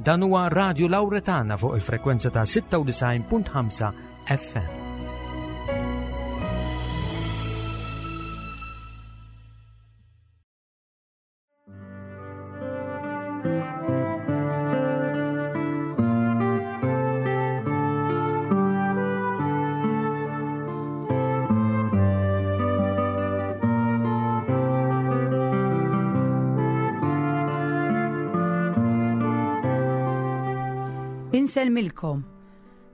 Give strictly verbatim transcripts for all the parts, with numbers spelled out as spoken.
Dan huwa Radio Lauretana fuq il-frekwenza ta' sitta u disgħin punt ħamsa F M. Insellmilkom.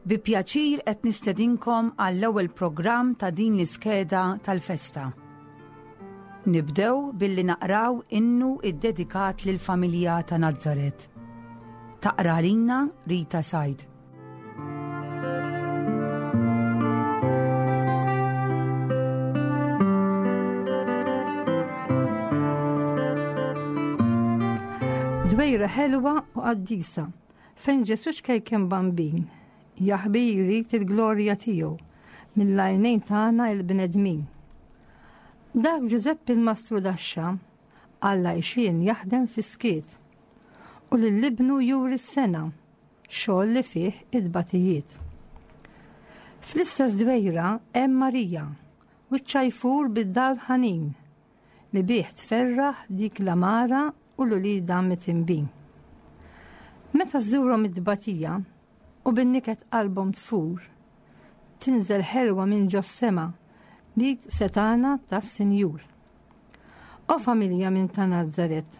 Bi pjaċir qed nistedinkom għall-ewwel programm ta' din l-iskeda tal-festa. Nibdew billi naqraw innu iddedikat lill-familja ta' Nazzaret. Taqra lilna Rita Said. Dwejra ħelwa u qaddisa, fejn Ġesu ċkejken bambin, jaħbi jrid il-glorja tiegħu mill-għajnejn tagħna il-bnedmin. Dak Ġużeppi il-Mastru Daxxa, Alla ixin jaħdem fis-skiet u lil ibnu juri s-sena, xogħol li fih id-batijiet. Fl-istess dwejra hemm Marija, wiċċha jfur bid-dawl ħanin li bih tferraħ dik l-amara u l-ulida mitimbin. Meta żżurhom id-dbatija u bin-niket qalbhom tfur, tinżel ħelwa minn ġos-sema li setana tas-Sinjur. O familja minn ta' Nazzaret,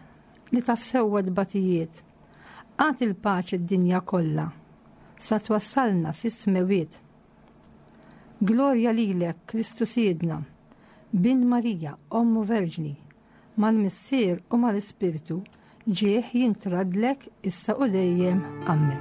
li taf sewwa tbatijiet, agħti il-paċi d-dinja kollha, sa twassalna fis-smewiet. Glorja lilek, Kristu Sidna, bin Marija, Ommu Verġni, mal-Missier u mal-Ispirtu, ġieħ jintradlek issa u dejjem. Amen.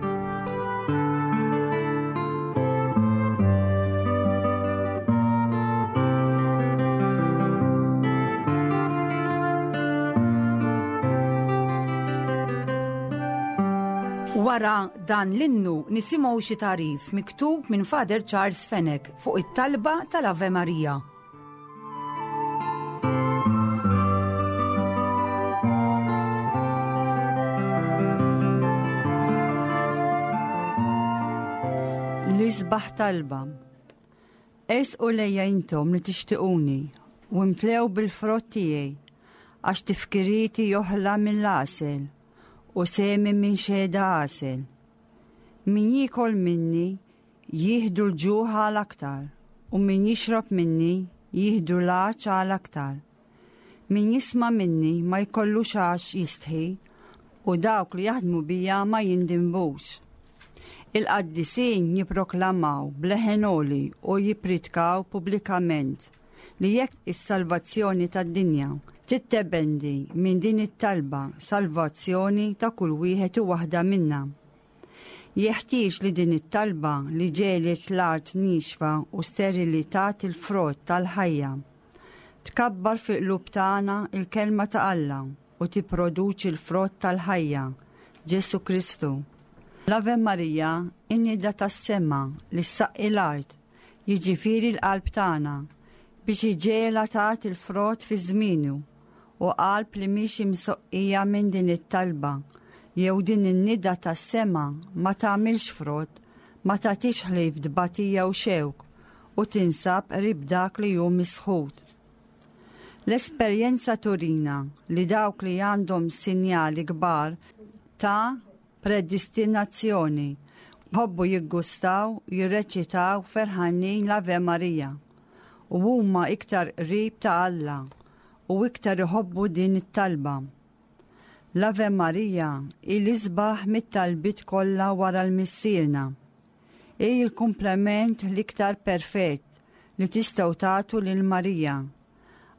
Wara dan l-innu nisimgħu xi tagħrif miktub minn Father Charles Fenech fuq it-talba tal-Ave Maria. L-isbaħ talba. Ersqu lejja intom li tixtiquni u imtlew bil-frott tiegħi, għax tifkirieti joħla mill-għasel u sehmi minn xehda għasel. Min jiekol minni jieħdu l-ġuħ għal aktar u min jixrob minni jieħdu l-għatx għal aktar. Min jisma' minni ma jkollux għax jistħi u dawk li jaħdmu bija ma jindinbux. Il-qaddisin jipproklamaw b'leħen għoli u jippritkaw pubblikament li jekk is-salvazzjoni tad-dinja tiddependi minn din it-talba, salvazzjoni ta' kull wieħed u waħda minna. Jeħtieġ li din it-talba li ġegħlet l-art nixfa u sterili tagħti il-frott tal-ħajja. Tkabbar fil-qlub tagħna il-kelma ta' Alla u tipproduċi l-frott tal-ħajja, Ġesu Kristu. L-Ave Marija, in-nida tas-sema li ssaqqi l-art, jiġifieri l-qalb tagħna, biex iġegħelha tagħti il-frott fi żmienu, u qalb li mhix imsoqqija minn din it-talba jew din in-nida tas-sema ma tagħmilx frott, ma tagħtix ħlief tbatija u xewk u tinsab qrib dak li hu misħut. L-esperjenza turina li dawk li għandhom sinjali kbar ta' predestinazzjoni jħobbu jiggustaw jirreċitaw ferħanin l-Ave Maria u huma iktar qrib ta' Alla u iktar iħobbu din it-talba. L-Ave Maria hi l-isbaħ mit-talbit kollha wara l-Missierna. Hi l-komplement l-iktar perfett li tistgħu tagħtu lil Marija,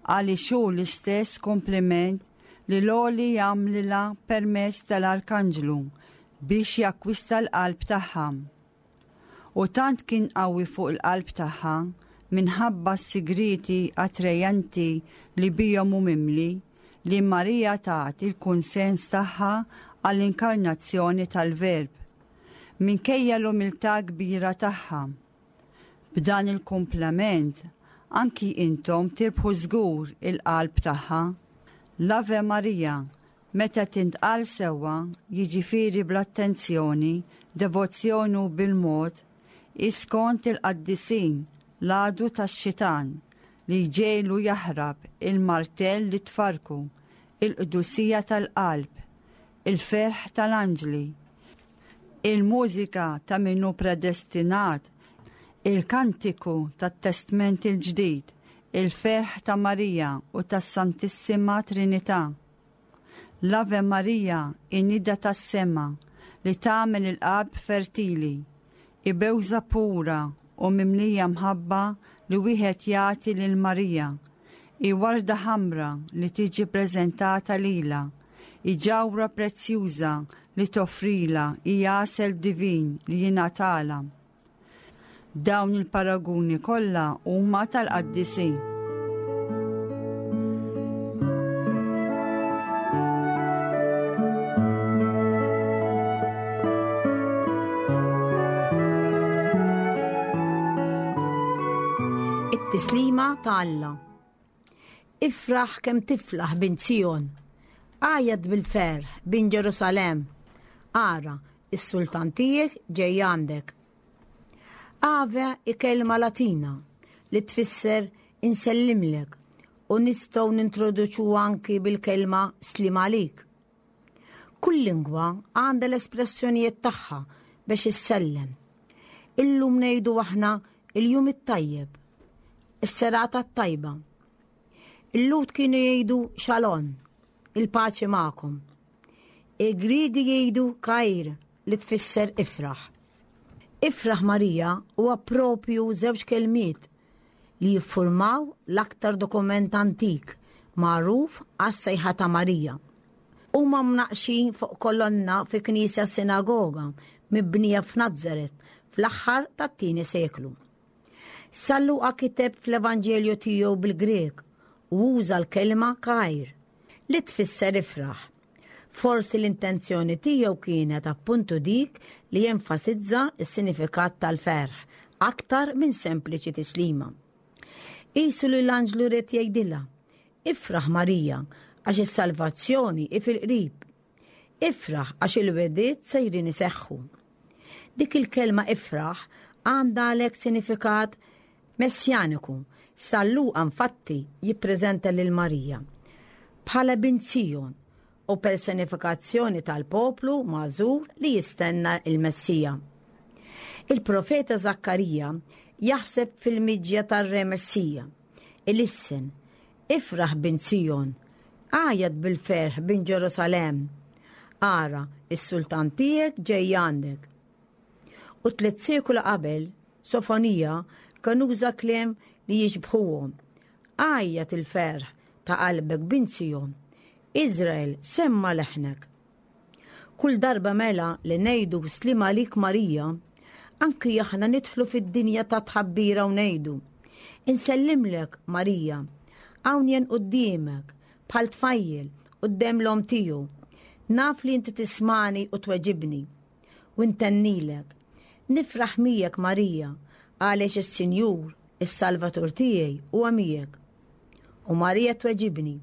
għaliex hu l-istess kompliment li l-Għoli jagħmlilha permezz tal-Arkanġlu biex jakkwista l-qalb tagħha. U tant kien qawwi fuq il-qalb tagħha minħabba s-sigriti attrajanti li bihom hu mimli li Marija tat il-kunsens tagħha għall-inkarnazzjoni tal-Verb minkejja l-umiltà kbira tagħha. B'dan il-komplement anki intom tirbħu żgur il-qalb tagħha. L-Ave Maria. Meta tintqal sewwa, jiġifieri bl-attenzjoni, devozzjoni u bil-mod, hi skont il-qaddisin l-għadu tax-xitan li jġegħlu jaħrab il-martell li tfarku, il-qdusija tal-qalb, il-ferħ tal-anġli, il-mużika ta' min hu predestinat, il-kantiku tat-Testment il-Ġdid, il-ferħ ta' Marija u tas-Santissima Trinità. L-Ave Marija hi nida tas-sema li tagħmel il-qalb fertili, hi bewża pura u mimlija mħabba li wieħed jagħti lil Marija, hi warda ħamra li tiġi preżentata lilha, hi ġawhra prezzjuża li toffrilha, hi għasel divin li jingħatalha. Dawn il-paraguni kollha huma tal-qaddisin. It-tislima ta' Alla. Ifraħ kemm tiflaħ bint Sijon, għajjat bil-ferħ bint Ġerusalemm. Ara, is-sultan tiegħek ġej għandek. Ave hi kelma Latina li tfisser insellimlek u nistgħu nintroduċu anki bil-kelma slim għalik. Kull lingwa għandha l-espressjonijiet tagħha biex issellem. Illum ngħidu aħna il-jum it-tajjeb, is-serata t-tajba. Il-Lhud kienu jgħidu xalon, il-paċi magħkom. Il-Griegi jgħidu kajr li tfisser ifraħ. Ifraħ Marija huwa propju żewġ kelmiet li jiffurmaw l-aktar dokument antik magħruf għas-sejħa ta' Marija. Huma mnaqxin fuq kolonna fi knisja sinagoga mibnija f'Nazaret fl-aħħar tat-tieni seklu. San Luqa kiteb fl-Evanġelju tiegħu bil-Grek u uża l-kelma kajr li tfisser ifraħ. Forsi l-intenzjoni tiegħu kienet appuntu dik li jenfasizza s-sinifikat tal-ferħ aktar minn sempliċi tislima. Qisu li l-anġlu ried jgħidilha, ifraħ Marija għax is-salvazzjoni hi fil-qrib. Ifraħ għax il-wegħdiet sejrin iseħħu. Dik il-kelma ifraħ għandha għalhekk sinifikat messjaniku. San Luqa infatti jippreżenta lil Marija bħala bint Sijon u personifikazzjoni tal-poplu magħżul li jistenna il-Messija. Il-profeta Zakkarija jaħseb fil-miġja tar-Re Messija. Ilissen, ifraħ bint Sijon, għajjat bil-ferħ bint Ġerusalemm. Ara, is-sultan tiegħek ġej għandek. U tliet sekoli qabel, Sofonija kien uża kliem li jixbħuhom. Għajjat il-ferħ ta' qalbek bint Sijon. Izrael, semma leħnek. Kull darba mela li ngħidu slim għalik Marija, anki aħna nidħlu fid-dinja ta' tħabbira u ngħidu. Insellimlek Marija, hawn jien quddiemek, bħal tfajjel quddiem l-omm tiegħu. Naf li inti tismani u tweġibni. U ntennilek. Nifraħ miegħek Marija, għaliex is-Sinjur, is-Salvatur tiegħi huwa miegħek. U Marija tweġibni.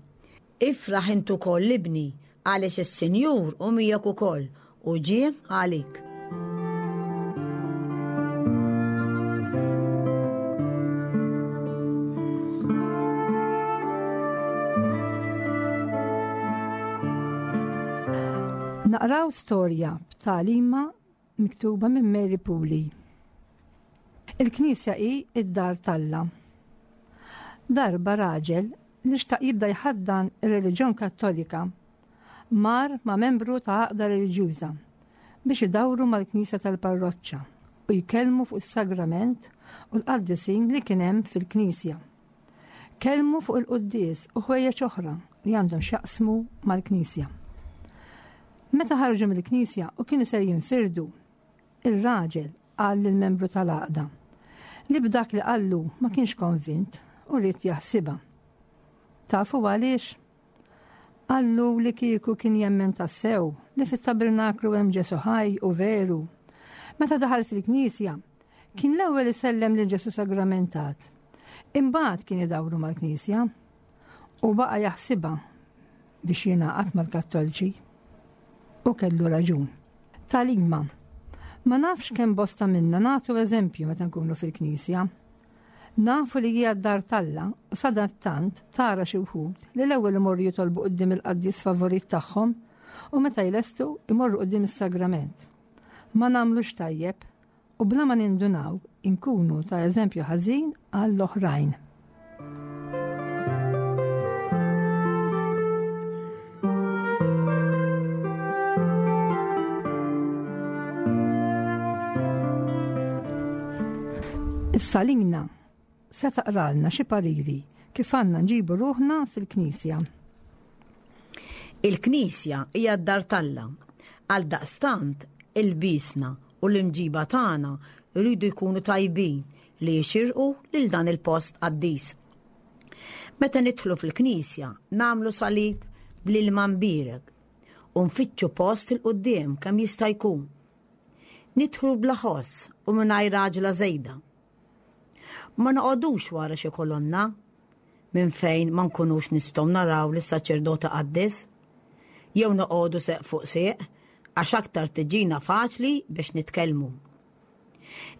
Ifraħ int ukoll ibni, għaliex is-Sinjur hu miegħek ukoll u ġie għalik. Naqraw storja b'tagħlima miktuba minn Mary Puli. Il-Knisja hi id-dar t'Alla. Darba raġel li xtaq jibda jħaddan ir-reliġjon Kattolika mar ma' membru ta' għaqda reliġjuża biex idawru mal-Knisja tal-parroċċa u jkellmu fuq is-sagrament u l-qaddisin li kien hemm fil-Knisja. Kellmu fuq il-quddies u ħwejjeġ oħra li għandhom x'jaqsmu mal-Knisja. Meta ħarġu mill-Knisja u kienu ser jinfirdu, ir-raġel qal lill-membru tal-għaqda li b'dak li qallu ma kienx konvint u ried jaħsibha. Tafu għaliex? Qallu li kieku kien jemmen tassew li fit-tabernaklu hemm Ġesu ħaj u veru. Meta daħal fil-Knisja, kien l-ewwel isellem lil Ġesu sagramentat. Imbagħad kien idawru mal-Knisja u baqa' jaħsibha biex jingħaqad mal-Kattoliċi. U kellu raġun. Tagħlima. Ma nafx kemm bosta minna nagħtu eżempju meta nkunu fil-Knisja. Nafu li hija d-dar t'Alla u sadattant tara xi wħud li l-ewwel imorru jitolbu quddiem il-qaddis favorit tagħhom u meta jlestu imorru quddiem is-sagrament. Ma nagħmlux tajjeb u bla ma nindunaw inkunu ta' eżempju ħażin għall-oħrajn. Issa Lina se taqralna xi pariri kif għandna nġibu ruħna fil-Knisja. Il-Knisja hija d-dar t'Alla. Għaldaqstant ilbiesna u l-imġiba tagħna jridu jkunu tajbin li jixirqu lil dan il-post qaddis. Meta nidħlu fil-Knisja nagħmlu salib bl-ilma mbierek u nfittxu post 'il quddiem kemm jista' jkun. Nidħlu bla ħoss u mingħajr għaġla żejda. Ma noqogħdux wara xi kolonna minn fejn ma nkunux nistgħu naraw lis-saċerdot iqaddes, jew noqogħdu seq fuq seq għax aktar tiġina faċli biex nitkellmu.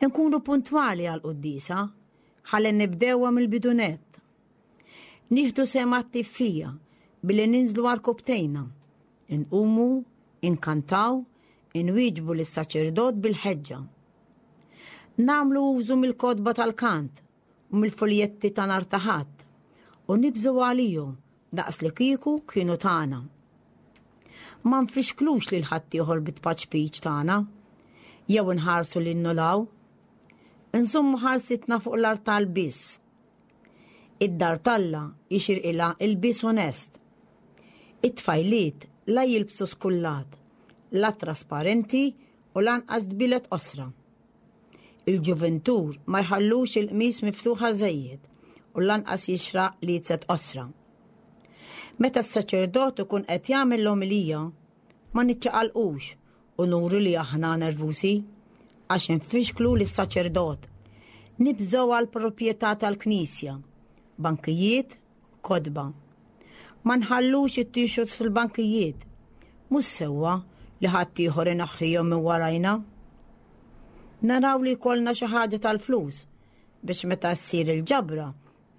Nkunu puntwali għall-quddiesa ħalli nibdewha mill-bidu nett. Nieħdu sehem attiv fiha billi ninżlu għarkupptejna, inqumu, inkantaw, inwieġbu lis-saċerdot bil-ħeġġa. Nagħmlu użu mill-kotba tal-kant u mill-fuljetti ta' nhar ta' Ħadd u nibżgħu għalihom daqs li kieku kienu tagħna. Ma nfixklux lil ħaddieħor bit-tpaċpiċ tagħna jew inħarsu lil nulaw. Nżommu ħarsitna fuq l-artal biss. Id-dar t'Alla jixirqilha ilbies onest. It-tfajliet la jilbsu skullat, la trasparenti u lanqas dbilet qosra. Il-ġuventur ma jħallux il-qmis miftuħa żejjed u lanqas jixraq li jitzet qosra. Meta s-saċerdot ikun qed jagħmel l-omilija, ma niċċaqalqux u nuru li aħna nervusi għax infixklu lis-saċerdot. Nibżgħu għal proprjetà tal-Knisja, bankijiet, kotba. Ma nħallux it-t-shirts fil-bankijiet. Mhux sewwa li ħaddieħor inaħħihom minn warajna. Naraw li jkollna xi ħaġa tal-flus biex meta ssir il-ġabra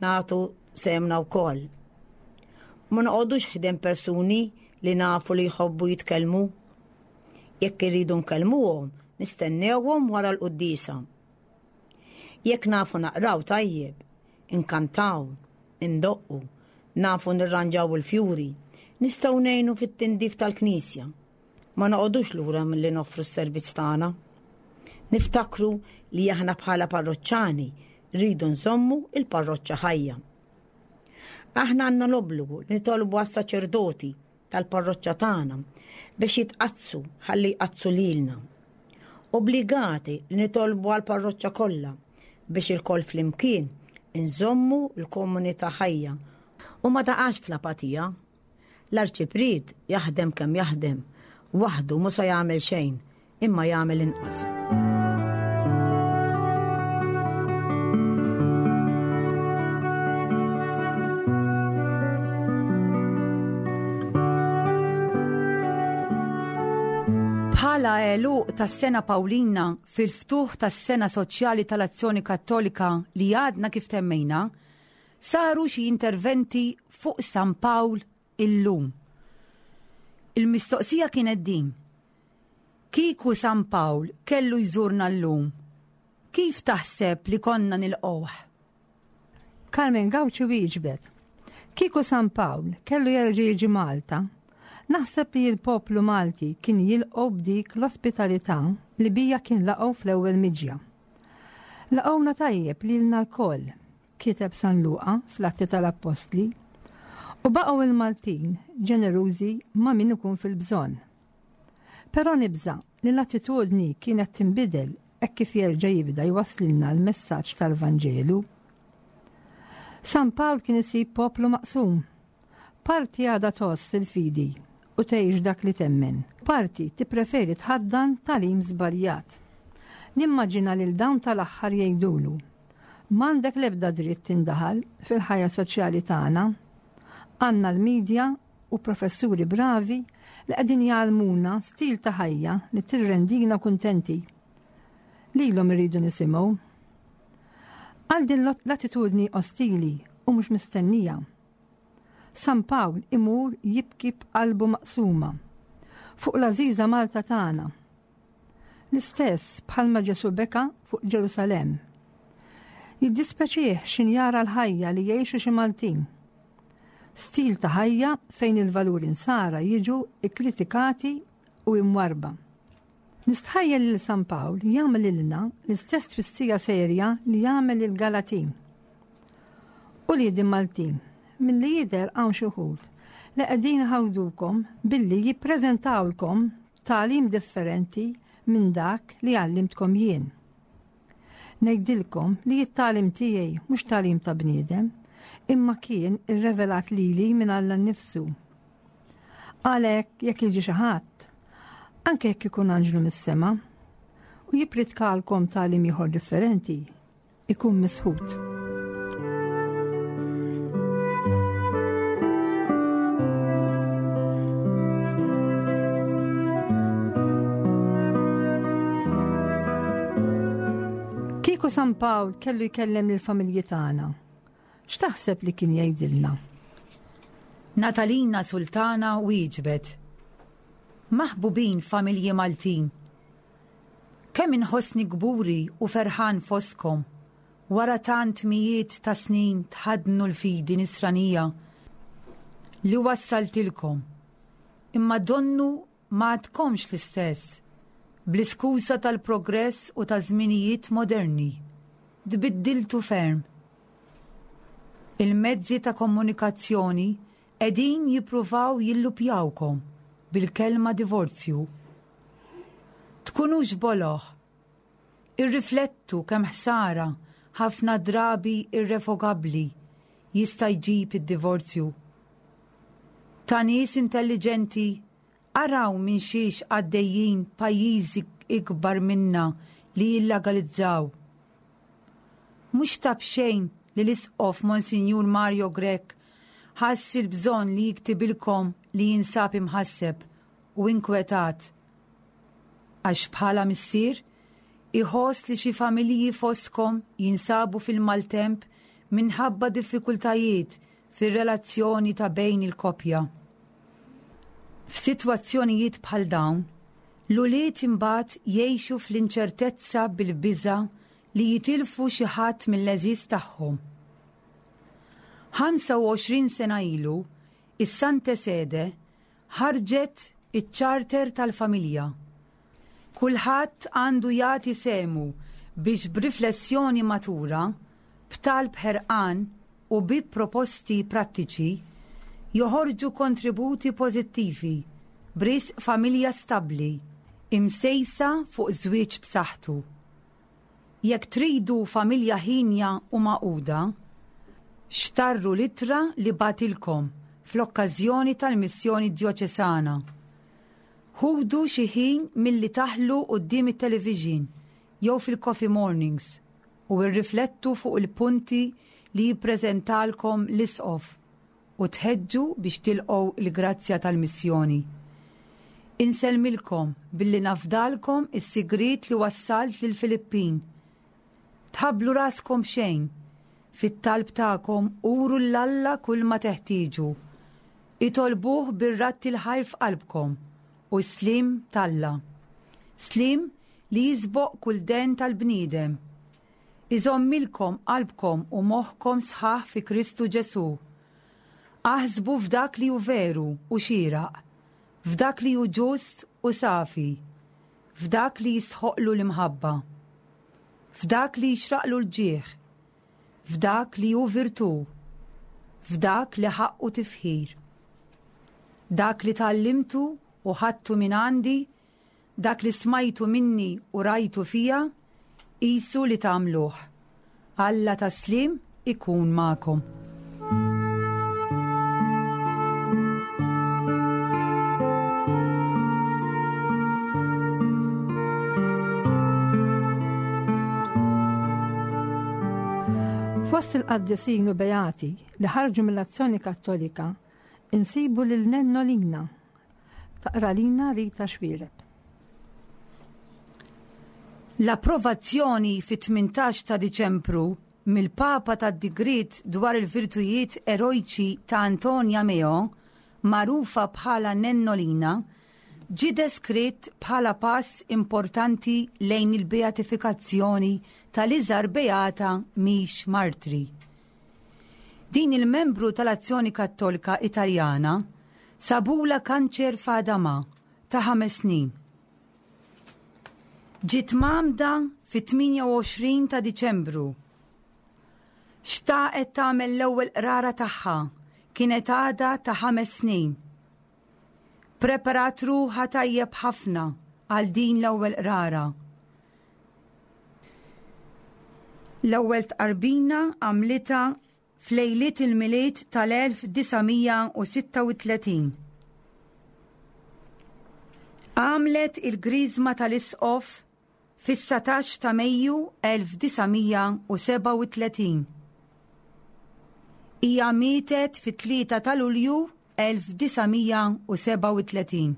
nagħtu sehemna wkoll. Ma noqogħdux ħdejn persuni li nafu li jħobbu jitkellmu. Jekk irridu nkellmuhom, nistennewhom wara l-quddiesa. Jekk nafu naqraw tajjeb, inkantaw, indoqqu, nafu nirranġaw il-fjuri, nistgħu ngħinu fit-tindif tal-Knisja. Ma noqogħdux lura milli noffru s-servizz tagħna. Niftakru li aħna bħala parroċċani rridu nżommu il-parroċċa ħajja. Aħna għandna l-obbligu li nitolbu għas-saċerdoti tal-parroċċa tagħna biex jitqaddsu ħalli jqaddsu lilna. Obbligati li nitolbu għall-parroċċa kollha biex ilkoll flimkien inżommu l-komunità ħajja u ma taqax fl-apatija. L-arċipriet jaħdem kemm jaħdem, waħdu mhu se jagħmel xejn, imma jagħmel inqas. Bħala għeluq tas-sena Pawlina fil-ftuħ tas-sena soċjali tal-Azzjoni Kattolika li għadna kif temmejna, saru xi interventi fuq San Pawl illum. Il-mistoqsija kienet din: kieku San Pawl kellu jżurna llum, kif taħseb li konna nilqgħuh? Carmen Gauci wieġbet: kieku San Pawl kellu jerġa' jiġi Malta, naħseb li l-poplu Malti kien jilqgħu b'dik l-ospitalità li bija kien laqgħu fl-ewwel miġja. Laqgħuna tajjeb lilna lkoll, kiteb San Luqa fl-Atti tal-Appostli, u baqgħu il-Maltin ġenerużi ma' min ikun fil-bżonn. Però nibża' li l-attitudni kienet tinbidel hekk kif jerġa' jibda jwaslilna l-messaġġ tal-Vanġelu. San Pawl kien isib poplu maqsum. Parti għadha tgħożż il-fidi u tgħix dak li temmen. Parti tippreferi tħaddan tagħlim żbaljat. Nimmaġina lil dawn tal-aħħar jgħidulu: m'għandek l-ebda dritt tindaħal fil-ħajja soċjali tagħna. Għandna l-medja u professuri bravi li qegħdin jgħallmuna stil ta' ħajja li tirrendina kuntenti. Lilhom irridu nisimgħu. Għal din l-attitudni ostili u mhux mistennija. San Pawl imur jibki b'qalbu maqsuma fuq l-għażiża Malta tagħna. L-istess bħalma Ġesu beka fuq Ġerusalemm. Jiddispjaċih x'ħin jara l-ħajja li jgħixu xi Maltin. Stil ta' ħajja fejn il-valuri nsara jiġu ikkritikati u imwarba. Nistħajjel lil San Pawl jagħmel lilna l-istess twissija serja li jagħmel lill-Galatin. Uliedi Maltin, milli jidher hawn xi wħud li qegħdin iħawdukom billi jippreżentawlkom tagħlim differenti minn dak li għallimtkom jien. Ngħidilkom li t-tagħlim tiegħi mhux tagħlim ta' bniedem, imma kien irrevelat lili minn Alla nnifsu. Għalhekk jekk jiġi xi ħadd, anke jekk ikun anġlu mis-sema, u jippritkalkom tagħlim ieħor differenti, ikun misħut. Kieku San Pawl kellu jkellem lill-familji tagħna, x'taħseb li kien jgħidilna? Natalina Sultana wieġbet: Maħbubin familji Maltin, kemm inħossni kburi u ferħan fostkom wara tant mijiet ta' snin tħaddnu l-fidi nisranija li wassaltilkom, imma donnu ma għadkomx l-istess bl-iskuża tal-progress u ta' żminijiet moderni. Tbiddiltu ferm. Il-mezzi ta' komunikazzjoni qegħdin jippruvaw jillupjawkom bil-kelma divorzju. Tkunux boloh. Irriflettu kemm ħsara ħafna drabi irrevokabbli jista' jġib id-divorzju. Ta' nies intelligenti araw minn xiex għaddejjin pajjiżi ikbar minna li jillegalizzaw. Mhux ta' b'xejn li l-Isqof Monsinjur Mario Grech ħass il-bżonn li jiktibilkom li jinsab imħasseb u inkwetat. Għax bħala missier iħoss li xi familji fostkom jinsabu fil-maltemp minħabba diffikultajiet fir-relazzjoni ta' bejn il-koppja. F'sitwazzjonijiet bħal dawn, l-ulied imbagħad jgħixu fl-inċertezza bil-biża' li jitilfu xi ħadd mill-għeżież tagħhom. ħamsa u għoxrin sena ilu, is-Sante Sede ħarġet iċ-ċarter tal-familja. Kulħadd għandu jagħti sehmu biex b'riflessjoni matura, b'talb ħerqan u bi proposti prattiċi joħorġu kontributi pożittivi b'risq familja stabbli, imsejsa fuq żwieġ b'saħħtu. Jekk tridu familja ħinja u maquda, xtarru l-ittra li batilkom fl-okkażjoni tal-missjoni djoċesana. Ħudu xi ħin milli taħlu quddiem it-television jew fil-coffee mornings u rriflettu fuq il-punti li jippreżentalkom l-Isqof u tħeġġu biex tilqgħu l-grazzja tal-missjoni. Insellmilkom billi nafdalkom is-sigriet li wassalt lill-Filippin. Tħabblu raskom xejn, fit-talb tagħkom uru l-Alla kull ma teħtieġu. Itolbuh bir-ratt il-ħajr f'qalbkom u s-slim t'Alla. Slim li jisboq kull den tal-bniedem. Iżommilkom qalbkom u moħħkom sħaħ fi Kristu Ġesu. Aħsbu f'dak li hu veru u xieraq, f'dak li hu ġust u safi, f'dak li jisħoqlu l-imħabba, f'dak li jixraqlu l-ġieħ, f'dak li hu virtù, f'dak li ħaqqu tifħir. Dak li tgħallimtu u ħadtu minn għandi, dak li smajtu minni u rajtu fija, qisu li tagħmluh. Alla tas-slim ikun magħkom. Fost il-qaddisin u beati li ħarġu mill-Azzjoni Kattolika Insibu lil Nennolina. Taqra lina Rita Xuereb. L-approvazzjoni fit-tmintax ta' Diċembru mill-Papa tad-Digriet dwar il-virtujiet erojċi ta' Antonia Meo, magħrufa bħala Nennolina, ġie deskritt bħala pass importanti lejn il-beatifikazzjoni tal-iżgħar beata mhix martri. Din il-membru tal-Azzjoni Kattolika Italjana sabula kanċer f'għadama ta' ħames snin. Ġiet mgħammda fit-tmienja u għoxrin ta' Diċembru. Xtaqet tagħmel l-ewwel qrara tagħha, kienet għadha ta' ħames snin. Preparat ruħha tajjeb ħafna għal din l-ewwel qrara. L-ewwel tqarbina għamlitha f'lejliet il-Milied tal-elf disa' mija u sitta u tletin. Għamlet il-griżma tal-Isqof fis-satax ta' Mejju elf disa' mija u sebgħa u tletin. Hija mietet fit-tlieta ta' Lulju elf disa' mija u sebgħa u tletin,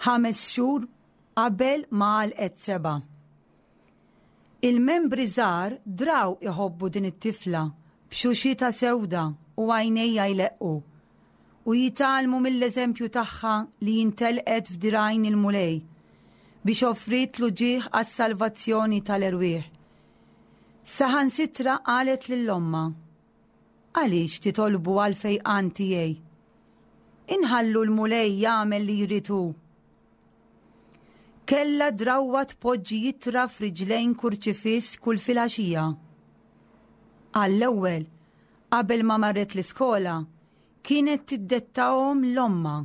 ħames xhur qabel ma għalqet seba'. Il-membri żgħar draw iħobbu din it-tifla b'xuxita sewda u għajnejha jleqqu, u jitgħallmu mill-eżempju tagħha li jintelqet f'dirgħajn il-Mulej biex offrit l-uġigħ għas-salvazzjoni tal-erwieħ. Saħansitra qalet lil ommha, Għaliex titolbu għal fejqan tiegħi? Inħallu l-Mulej jagħmel li jrid hu. Kella drawwa tpoġġi jitra f'riġlejn kurċifiss kull filgħaxija. Għall-ewwel, qabel ma marret l-iskola, kienet tiddettahom l-omma.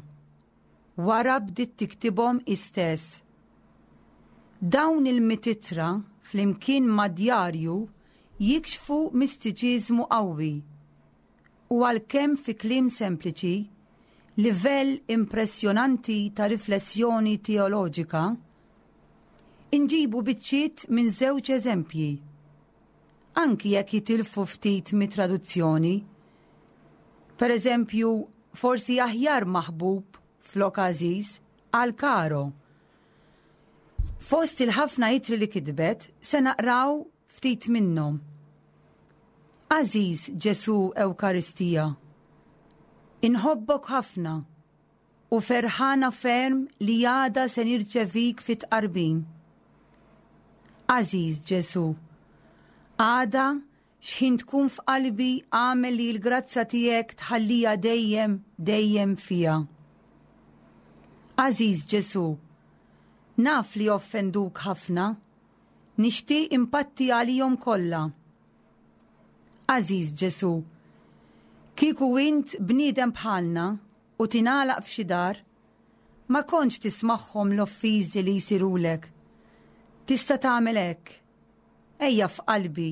Wara bdiet tiktibhom istess. Dawn il-mititra flimkien ma' djarju jikxfu mistiċiżmu qawwi u għalkemm fi kliem sempliċi, livell impressjonanti ta' riflessjoni teoloġika, inġibu biċċiet minn żewġ eżempji, anki jekk jitilfu ftit mit-traduzzjoni. Per eżempju, forsi aħjar maħbub flok għażiż għal karo. Fost il-ħafna itri li kitbet, se naqraw ftit minnhom. Għażiż Ġesu Ewkaristija, inħobbok ħafna u ferħana ferm li għada se nirċevik fit-tqarbin. Għażiż Ġesu, għada xħin tkun f'qalbi għamel li l-grazza tiegħek tħallija dejjem, dejjem fija. Għażiż Ġesu, naf li offenduk ħafna, nixtieq impatti għalihom kollha. Għażiż Ġesu, kieku int bniedem bħalna u tingħalaq f'xi dar, ma kontx tismagħhom l-offiżi li jsirulek. Tista' tagħmel hekk. Ejja f'qalbi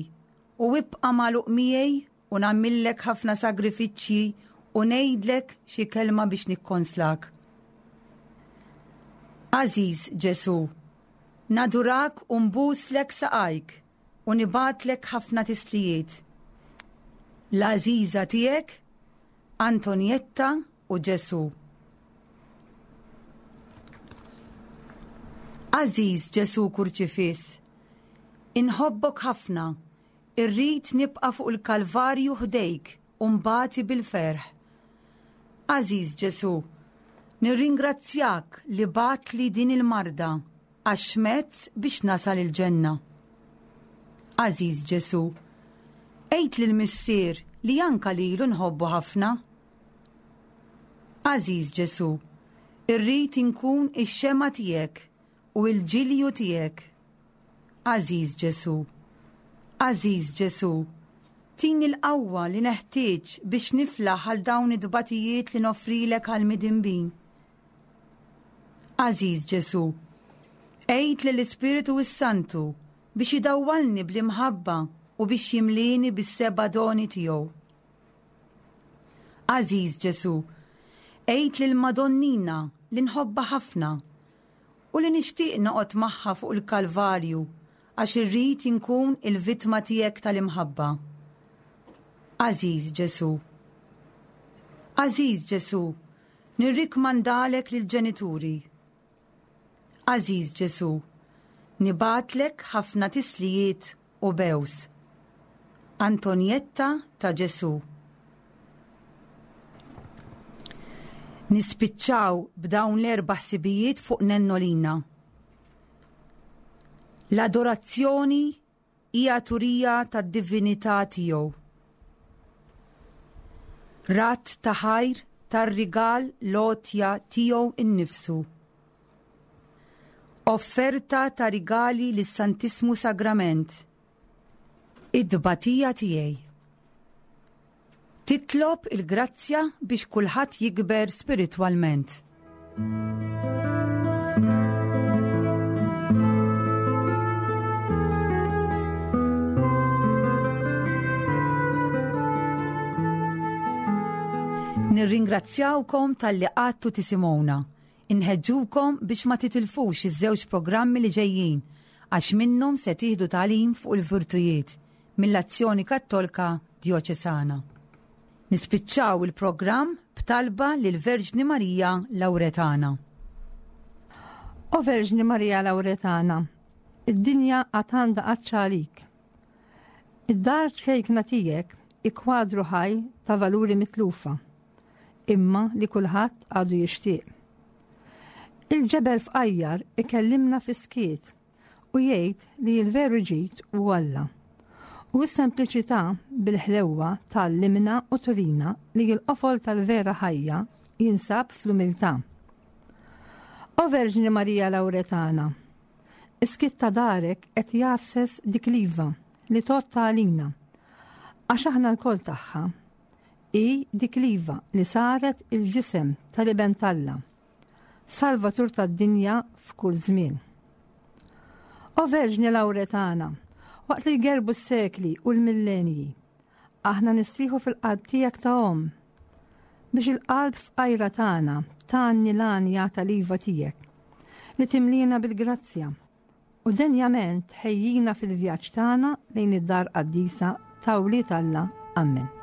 u ibqa' magħluq miegħi u nagħmillek ħafna sagrifiċċji u ngħidlek xi kelma biex nikkonslak. Għażiż Ġesu, nadurak u nbuslek saqajk u nibatlek ħafna tislijiet. L-għażiża tiegħek, Antonietta u Ġesu. Għażiż Ġesu Kurċifiss, inħobbok ħafna, irrid nibqa' fuq il-Kalvarju ħdejk u mbati bil-ferħ. Għażiż Ġesu, nirringrazzjak li bagħtli din il-marda għax mezz biex nasal il-ġenna. Għażiż Ġesu, għid lill-Missier li anka lilu nħobbu ħafna. Għażiż Ġesu, irrid inkun ix-xema tiegħek u l-ġilju tiegħek. Għażiż Ġesu, għażiż Ġesu, tini l-qawwa li neħtieġ biex niflaħ għal dawn id-dbatijiet li noffrilek għal midinbin. Għażiż Ġesu, għid lill-Ispiritu s-Santu biex idawwalni bl-imħabba u biex jimlini bis-seba' doni tiegħu. Għażiż Ġesu, għid lill-Madonnina li nħobbha ħafna u li nixtieq noqgħod magħha fuq il-Kalvarju għax irrid inkun il-vittma tiegħek tal-imħabba. Għażiż Ġesu, Għażiż Ġesù, nirrikmandalek lill-ġenituri. Għażiż Ġesù, nibgħatlek ħafna tislijiet u bews. Antonietta ta' Ġesù. Nispiċċaw b'dawn l-erba' ħsibijiet fuq Nennolina. L-adorazzjoni hija turija tad-divinità tiegħu. Rat ta' ħajr tar-rigal l-għotja tiegħu innifsu. Offerta ta' rigali lis-Santissmu Sagrament. Id-tbatija tiegħi. Titlob il-grazzja biex kulħadd jikber spiritwalment. Nirringrazzjawkom talli qgħadtu tisimgħuna. Inħeġġukom biex ma titilfux iż-żewġ programmi li ġejjin għax minnhom se tieħdu tagħlim fuq il-virtujiet mill-Azzjoni Kattolika Djoċesana. Nispiċċaw il-programm b'talba lil Verġni Marija Lawretana. O Verġni Marija Lawretana, id-dinja għad għandha għatx għalik. Id-dar ċkejkna tiegħek ikwadru ħaj ta' valuri mitlufa, imma li kulħadd għadu jixtieq. Il-ġebel fqajjar ikellimna fis-skiet u jgħid li l-veru ġid hu Alla. U s-sempliċità bil-ħlewwa tgħallimna u turina li l-qofol tal-vera ħajja jinsab fl-umiltà. O Verġni Marija Lawretana, is-skiet ta' darek qed jgħasses dik l-iva li tgħodd għalina, għax aħna lkoll tagħha. Hi dik l-iva li saret il-ġisem tal-Iben t'Alla, Salvatur tad-dinja f'kull żmien. O Verġni Lawretana, waqt li jgerbu s-sekli u l-millenji, aħna nistrieħu fil-qalb tiegħek ta' omm, biex il-qalb fqajra tagħna tgħanni l-għanja tal-iva tiegħek, li timlina bil-grazzja u denjament ħejjina fil-vjaġġ tagħna lejn id-dar qaddisa ta' wlied Alla. Amen.